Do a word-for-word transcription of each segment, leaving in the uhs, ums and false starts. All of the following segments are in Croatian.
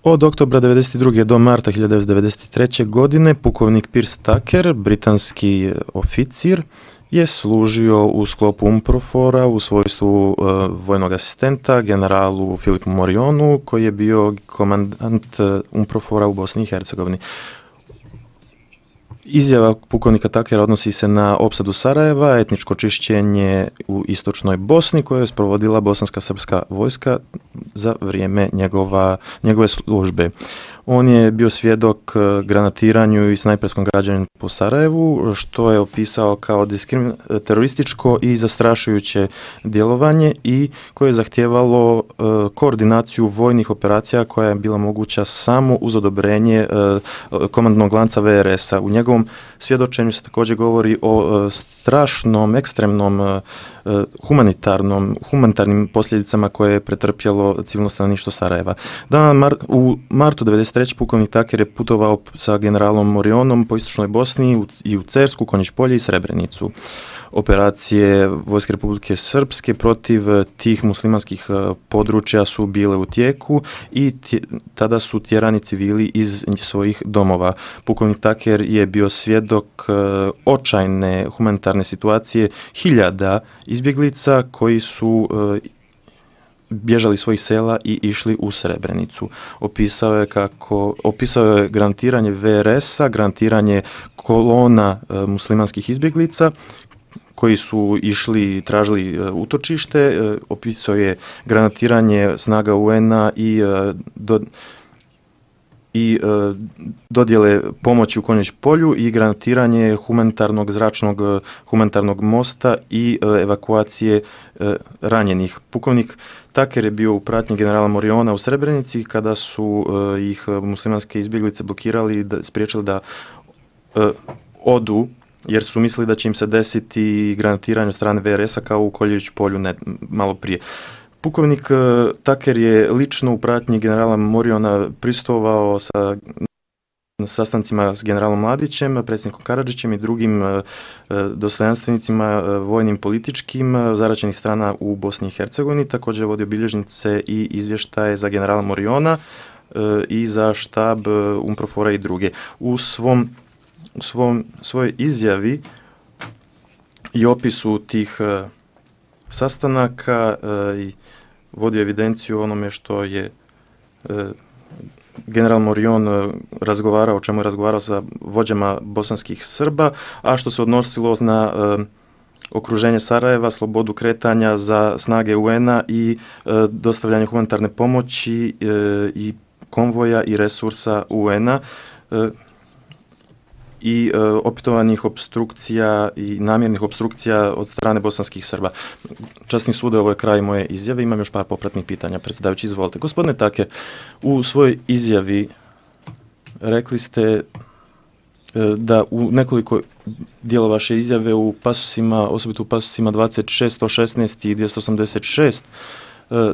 Od oktobra devedeset druge do marta hiljadu devetsto devedeset treće. godine pukovnik Piers Tucker, britanski oficir, je služio u sklopu UNPROFOR-a u svojstvu uh, vojnog asistenta generalu Filipu Morionu, koji je bio komandant UNPROFOR-a u Bosni i Hercegovini. Izjava pukovnika Tuckera odnosi se na opsadu Sarajeva, etničko čišćenje u istočnoj Bosni koje je sprovodila bosanska srpska vojska za vrijeme njegova, njegove službe. On je bio svjedok granatiranju i snajperskom gađanju po Sarajevu, što je opisao kao diskrimin... terorističko i zastrašujuće djelovanje i koje je zahtijevalo uh, koordinaciju vojnih operacija koja je bila moguća samo uz odobrenje uh, komandnog lanca V R S-a. U njegovom svjedočenju se također govori o uh, strašnom, ekstremnom uh, humanitarnom, humanitarnim posljedicama koje je pretrpjelo civilno stanovništvo Sarajeva. Dana mar, u martu devedeset treće. pukovnik Tucker je putovao sa generalom Morionom po istočnoj Bosni i u Cersku, Konjić polje i Srebrenicu. Operacije Vojske Republike Srpske protiv tih muslimanskih područja su bile u tijeku i tje, tada su tjerani civili iz svojih domova. Pukovnik Tucker je bio svjedok očajne humanitarne situacije hiljada izbjeglica koji su bježali svojih sela i išli u Srebrenicu. Opisao je kako opisao je grantiranje V R S-a, grantiranje kolona e, muslimanskih izbjeglica koji su išli, tražili utočište, e, opisao je granatiranje snaga U N-a i e, do, i e, dodjele pomoći u Konjić polju i granatiranje humanitarnog zračnog humanitarnog mosta i e, evakuacije e, ranjenih. Pukovnik Tucker je bio u pratnji generala Moriona u Srebrenici kada su e, ih muslimanske izbjeglice blokirali, da, spriječili da e, odu jer su mislili da će im se desiti granatiranje od strane V R S-a kao u Konjić polju ne, malo prije. Pukovnik Tucker je lično u pratnji generala Moriona pristovao sa sastancima s generalom Mladićem, predsjednikom Karadžićem i drugim dostojanstvenicima vojnim političkim zaraćenih strana u Bosni i Hercegovini. Također je vodio bilježnice i izvještaje za generala Moriona i za štab UNPROFOR-a i druge. U svom, u svom svojoj izjavi i opisu tih sastanaka e, i vodio evidenciju o onome što je e, general Morion e, razgovarao, o čemu je razgovarao sa vođama bosanskih Srba, a što se odnosilo na e, okruženje Sarajeva, slobodu kretanja za snage U N-a i e, dostavljanje humanitarne pomoći e, i konvoja i resursa U N-a. E, i e, opetovanih obstrukcija i namjernih obstrukcija od strane bosanskih Srba. Časni sude, ovo je kraj moje izjave. Imam još par popratnih pitanja. Predsjedavajući, izvolite. Gospodine Tucker, u svojoj izjavi rekli ste e, da u nekoliko dijela vaše izjave u pasusima, osobito u pasusima dvadeset šest, sto šesnaest i dvjesto osamdeset šest,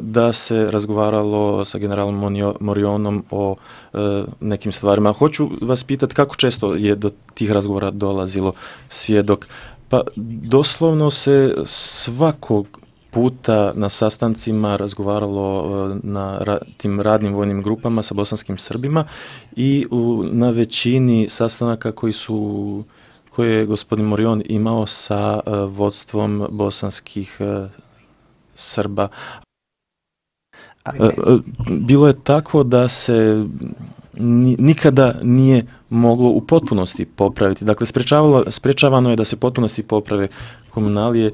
da se razgovaralo sa generalom Morionom o e, nekim stvarima. Hoću vas pitati kako često je do tih razgovora dolazilo svjedok. Pa doslovno se svakog puta na sastancima razgovaralo e, na ra, tim radnim vojnim grupama sa bosanskim Srbima i u, na većini sastanaka koji su koje je gospodin Morion imao sa e, vodstvom bosanskih e, Srba. Bilo je tako da se nikada nije moglo u potpunosti popraviti. Dakle, sprečavano je da se potpunosti poprave komunalije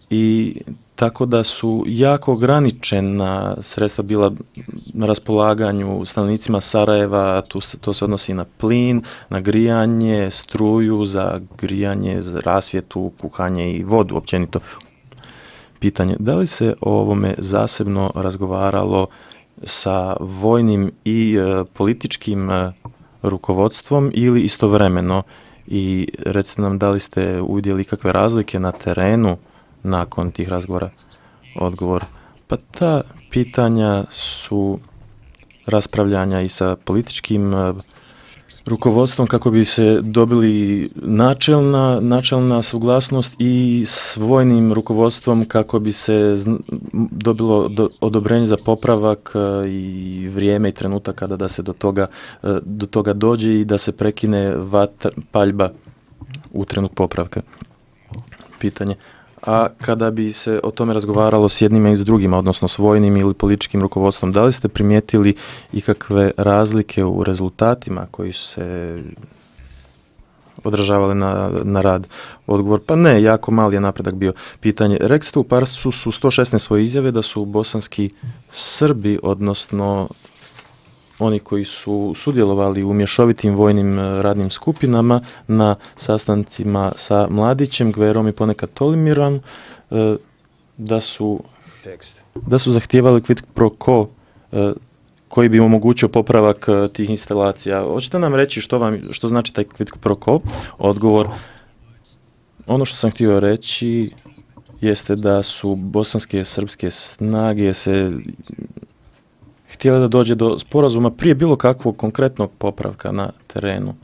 i tako da su jako ograničena sredstva bila na raspolaganju stanovnicima Sarajeva. Tu se, to se odnosi na plin, na grijanje, struju, za grijanje, za rasvjetu, kuhanje i vodu općenito. Pitanje, da li se o ovome zasebno razgovaralo sa vojnim i e, političkim e, rukovodstvom ili istovremeno? I recite nam, da li ste uvidjeli kakve razlike na terenu nakon tih razgovora? Odgovor, pa ta pitanja su raspravljanja i sa političkim e, rukovodstvom kako bi se dobili načelna, načelna suglasnost i s vojnim rukovodstvom kako bi se dobilo do, odobrenje za popravak i vrijeme i trenutak kada da se do toga, do toga dođe i da se prekine vatr, paljba u trenutku popravka. Pitanje. A kada bi se o tome razgovaralo s jednima i s drugima, odnosno s vojnim ili političkim rukovodstvom, da li ste primijetili ikakve razlike u rezultatima koji su se odražavali na, na rad? Odgovor, pa ne, jako mali je napredak bio. Pitanje, rekli ste u Parsu su sto šesnaest svoje izjave da su bosanski Srbi, odnosno oni koji su sudjelovali u mješovitim vojnim radnim skupinama na sastancima sa Mladićem, Gverom i ponekad Tolimirom, da su, da su zahtijevali quid pro quo koji bi omogućio popravak tih instalacija. Hoćete nam reći što, vam, što znači taj quid pro quo? Odgovor, ono što sam htio reći jeste da su bosanske srpske snage se htjela da dođe do sporazuma prije bilo kakvog konkretnog popravka na terenu.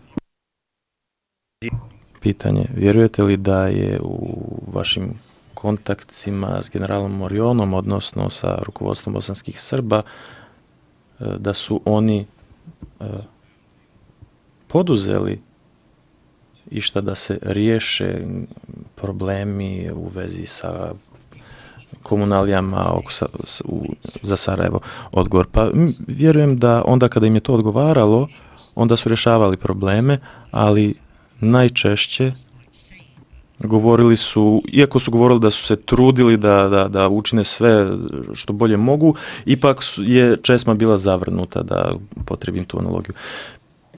Pitanje, vjerujete li da je u vašim kontaktima s generalom Morionom, odnosno sa rukovodstvom bosanskih Srba, da su oni poduzeli išta da se riješe problemi u vezi sa komunalijama za Sarajevo? Odgovor, pa vjerujem da onda kada im je to odgovaralo, onda su rješavali probleme, ali najčešće govorili su, iako su govorili da su se trudili da, da, da učine sve što bolje mogu, ipak je česma bila zavrnuta, da potrebim tu analogiju.